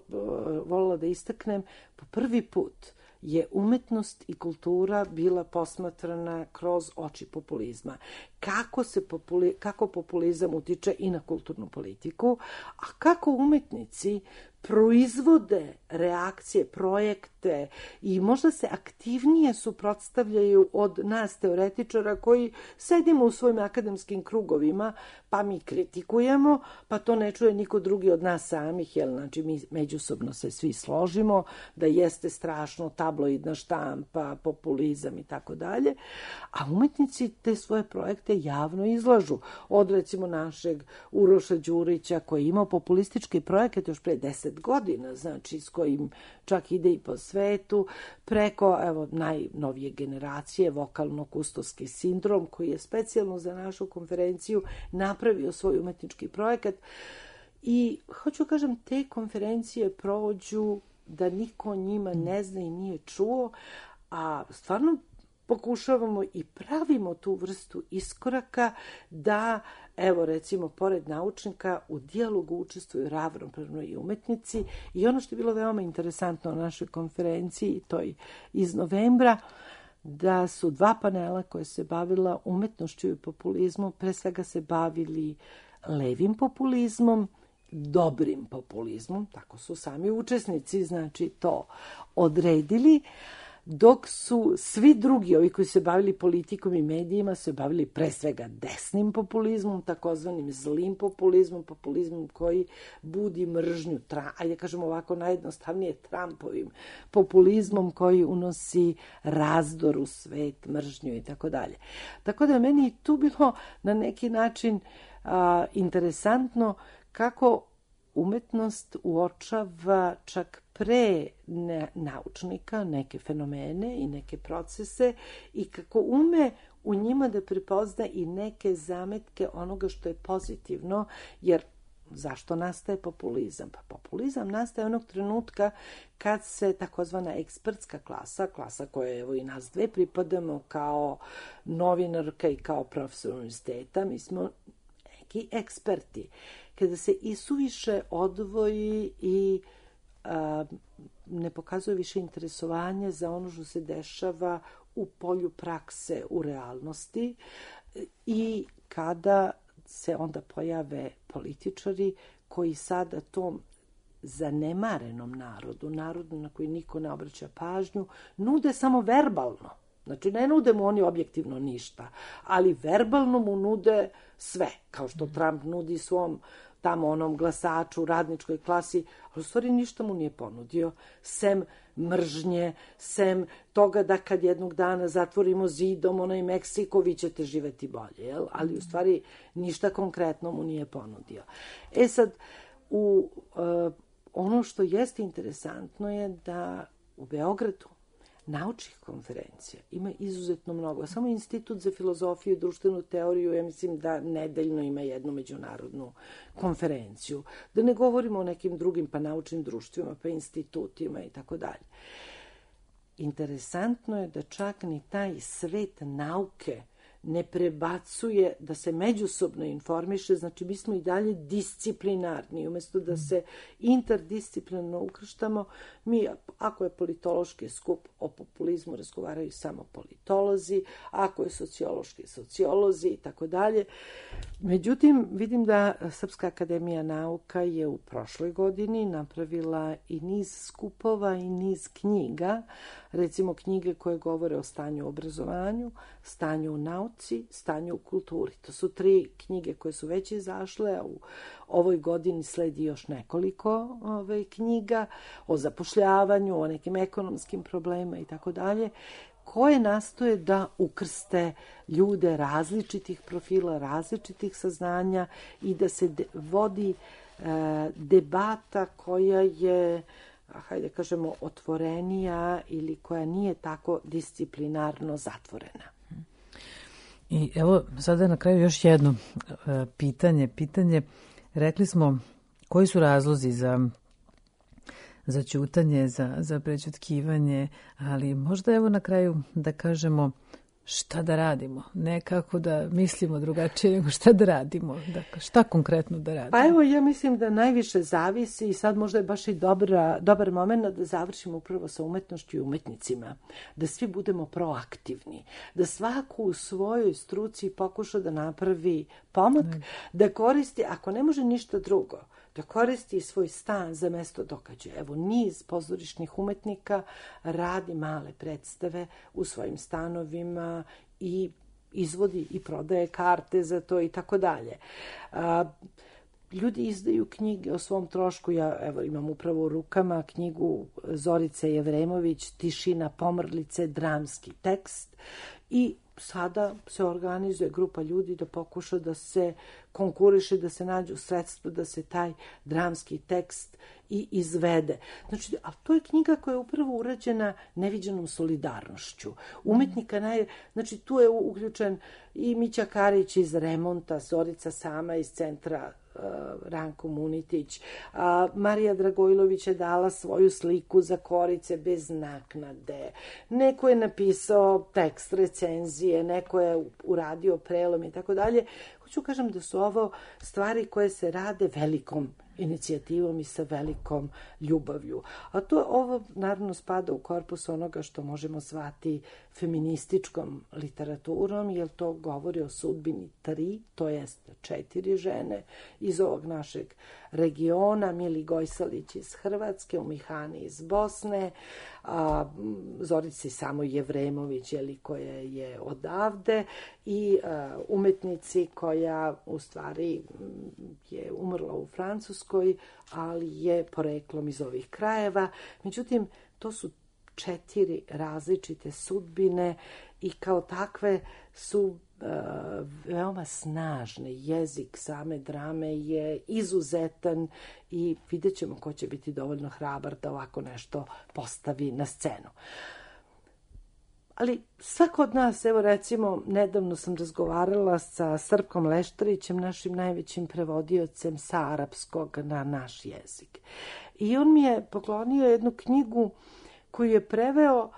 voljela da istaknem, po prvi put je umetnost i kultura bila posmatrana kroz oči populizma. Kako, se populi, kako populizam utiče i na kulturnu politiku, a kako umetnici proizvode reakcije, projekte i možda se aktivnije suprotstavljaju od nas teoretičara koji sedimo u svojim akademskim krugovima, pa mi kritikujemo, pa to ne čuje niko drugi od nas samih, jer znači mi međusobno se svi složimo da jeste strašno tabloidna štampa, populizam i tako dalje, a umetnici te svoje projekte javno izlažu. Od recimo našeg Uroša Đurića koji je imao populistički projekat još pre deset trideset godina, znači s kojim čak ide i po svetu, preko evo najnovije generacije, vokalno-kustovski sindrom, koji je specijalno za našu konferenciju napravio svoj umetnički projekat. I hoću kažem, te konferencije prođu da niko o njima ne zna i nije čuo, a stvarno pokušavamo i pravimo tu vrstu iskoraka da, evo recimo, pored naučnika u dijalogu učestvuju ravnopravno i umetnici. I ono što je bilo veoma interesantno na našoj konferenciji, toj iz novembra, da su dva panela koje se bavila umetnošću i populizmom, pre svega se bavili levim populizmom, dobrim populizmom, tako su sami učesnici, znači, to odredili, dok su svi drugi, ovi koji se bavili politikom i medijima, se bavili pre svega desnim populizmom, takozvanim zlim populizmom, populizmom koji budi mržnju, tra, ajde kažemo ovako najjednostavnije, Trumpovim populizmom koji unosi razdor u svet, mržnju i tako dalje. Tako da je meni tu bilo na neki način a, interesantno kako umetnost uočava čak pre ne, naučnika neke fenomene i neke procese i kako ume u njima da prepozna i neke zametke onoga što je pozitivno, jer zašto nastaje populizam? Pa populizam nastaje onog trenutka kad se takozvana ekspertska klasa, klasa koje evo i nas dve pripadamo kao novinarka i kao profesor univerziteta, mi smo neki eksperti, kada se isuviše odvoji i a, ne pokazuje više interesovanje za ono što se dešava u polju prakse, u realnosti, i kada se onda pojave političari koji sada tom zanemarenom narodu, narodu na koji niko ne obraća pažnju, nude samo verbalno. Znači, ne nude mu oni objektivno ništa, ali verbalno mu nude sve, kao što Trump nudi svom tamo onom glasaču, radničkoj klasi, ali u stvari ništa mu nije ponudio, sem mržnje, sem toga da kad jednog dana zatvorimo zidom onaj Meksiko, vi ćete živeti bolje, jel? Ali u stvari ništa konkretno mu nije ponudio. E sad, u, uh, ono što jeste interesantno je da u Beogradu naučnih konferencija ima izuzetno mnogo. Samo Institut za filozofiju i društvenu teoriju, ja mislim da nedeljno ima jednu međunarodnu konferenciju. Da ne govorimo o nekim drugim pa naučnim društvima, pa institutima i tako dalje. Interesantno je da čak ni taj svet nauke ne prebacuje, da se međusobno informiše, znači mi smo i dalje disciplinarni, umjesto da se interdisciplinarno ukrštamo, mi, ako je politološki skup o populizmu, razgovaraju samo politolozi, ako je sociološki sociolozi i tako dalje. Međutim, vidim da Srpska akademija nauka je u prošloj godini napravila i niz skupova i niz knjiga, recimo knjige koje govore o stanju u obrazovanju, stanju u nauci, stanju u kulturi. To su tri knjige koje su već izašle, a u ovoj godini sledi još nekoliko ove, knjiga o zapošljavanju, o nekim ekonomskim problemima i tako dalje, koje nastoje da ukrste ljude različitih profila, različitih saznanja i da se de, vodi e, debata koja je, hajde kažemo, otvorenija ili koja nije tako disciplinarno zatvorena. I evo sada na kraju još jedno e, pitanje. Pitanje, rekli smo koji su razlozi za za ćutanje, za, za prećutkivanje, ali možda evo na kraju da kažemo šta da radimo, ne kako da mislimo drugačije, nego šta da radimo, dakle, šta konkretno da radimo. Pa evo, ja mislim da najviše zavisi i sad možda je baš i dobra, dobar moment da završimo upravo sa umetnošću i umetnicima, da svi budemo proaktivni, da svako u svojoj struci pokuša da napravi pomak, ne. Da koristi, ako ne može ništa drugo, da koristi svoj stan za mesto događaja. Evo, niz pozorišnih umetnika radi male predstave u svojim stanovima i izvodi i prodaje karte za to i tako dalje. Ljudi izdaju knjige o svom trošku. Ja evo imam upravo u rukama knjigu Zorice Jevremović, Tišina pomrlice, dramski tekst, i sada se organizuje grupa ljudi da pokuša da se konkuriše, da se nađu sredstva da se taj dramski tekst i izvede. Znači, a to je knjiga koja je upravo urađena neviđenom solidarnošću. Umetnika, naj, znači tu je uključen i Mića Karić iz Remonta, Zorica sama iz centra Ranko Munitić, a Marija Dragojlović je dala svoju sliku za Korice bez naknade. Neko je napisao tekst recenzije, neko je uradio prelom i tako dalje. Hoću kažem da su ovo stvari koje se rade velikom inicijativom i sa velikom ljubavlju. A to ovo naravno spada u korpus onoga što možemo zvati feminističkom literaturom, jer to govori o sudbini tri, to jest četiri žene iz ovog našeg regiona, Mili Gojsalić iz Hrvatske, Umihani iz Bosne, a Zorici samo Jevremović, jeli, koja je odavde, i a, umetnici koja u stvari je umrla u Francuskoj, ali je poreklom iz ovih krajeva. Međutim, to su četiri različite sudbine i kao takve su uh, veoma snažne. Jezik same drame je izuzetan i vidjet ćemo ko će biti dovoljno hrabar da ovako nešto postavi na scenu. Ali svako od nas, evo recimo, nedavno sam razgovarala sa Srpkom Leštarićem, našim najvećim prevodiocem sa arapskog na naš jezik. I on mi je poklonio jednu knjigu koju je preveo,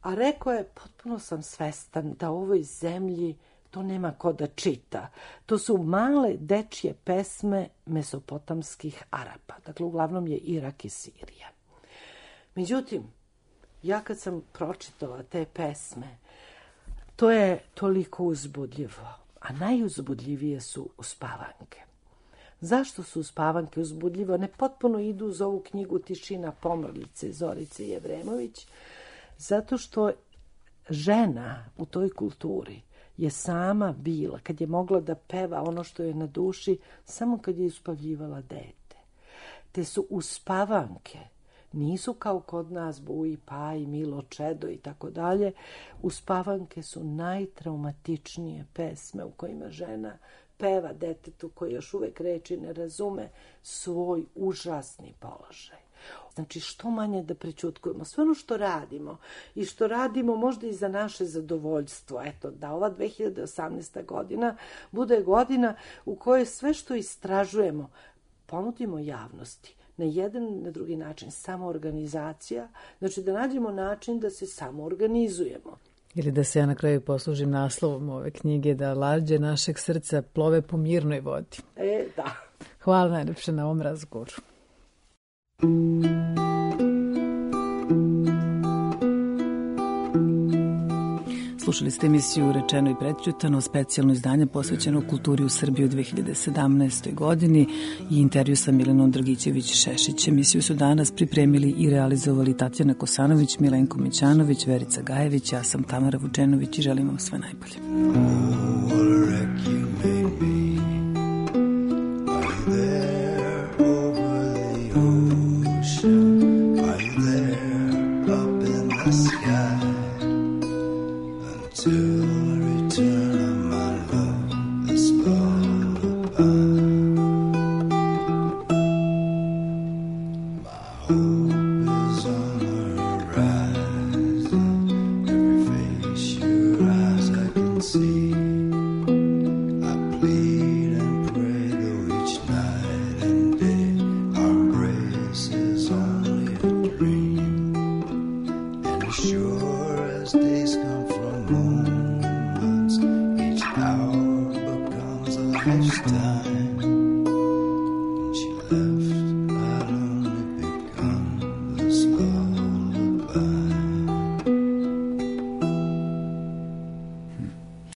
a rekao je, potpuno sam svestan da u ovoj zemlji to nema ko da čita. To su male dečje pesme mesopotamskih Arapa. Dakle, uglavnom je Irak i Sirija. Međutim, ja kad sam pročitala te pesme, to je toliko uzbudljivo, a najuzbudljivije su uspavanke. Zašto su uspavanke uzbudljive? One potpuno idu uz ovu knjigu Tišina pomrlice Zorice Jevremović, zato što žena u toj kulturi je sama bila, kad je mogla da peva ono što je na duši, samo kad je uspavljivala dete. Te su uspavanke, nisu kao kod nas Buji Paj, Milo Čedo i tako dalje. Uspavanke su najtraumatičnije pesme u kojima žena peva detetu koji još uvek reči ne razume svoj užasni položaj. Znači, što manje da prećutkujemo. Sve ono što radimo i što radimo možda i za naše zadovoljstvo. Eto, da ova dve hiljade osamnaesta. godina bude godina u kojoj sve što istražujemo ponudimo javnosti. Na jedan i na drugi način, samoorganizacija, znači da nađemo način da se samoorganizujemo. Ili da se ja na kraju poslužim naslovom ove knjige, da lađe našeg srca plove po mirnoj vodi. E, da. Hvala najlepše na ovom razgovoru. Slušali ste emisiju Rečeno i prećutano, specijalno izdanje posvećeno kulturi u Srbiji u dve hiljade sedamnaestoj. godini i intervju sa Milanom Dragićević-Šešić. Emisiju su danas pripremili i realizovali Tatjana Kosanović, Milenko Mićanović, Verica Gajević, ja sam Tamara Vučenović i želim vam sve najbolje. Time, she left.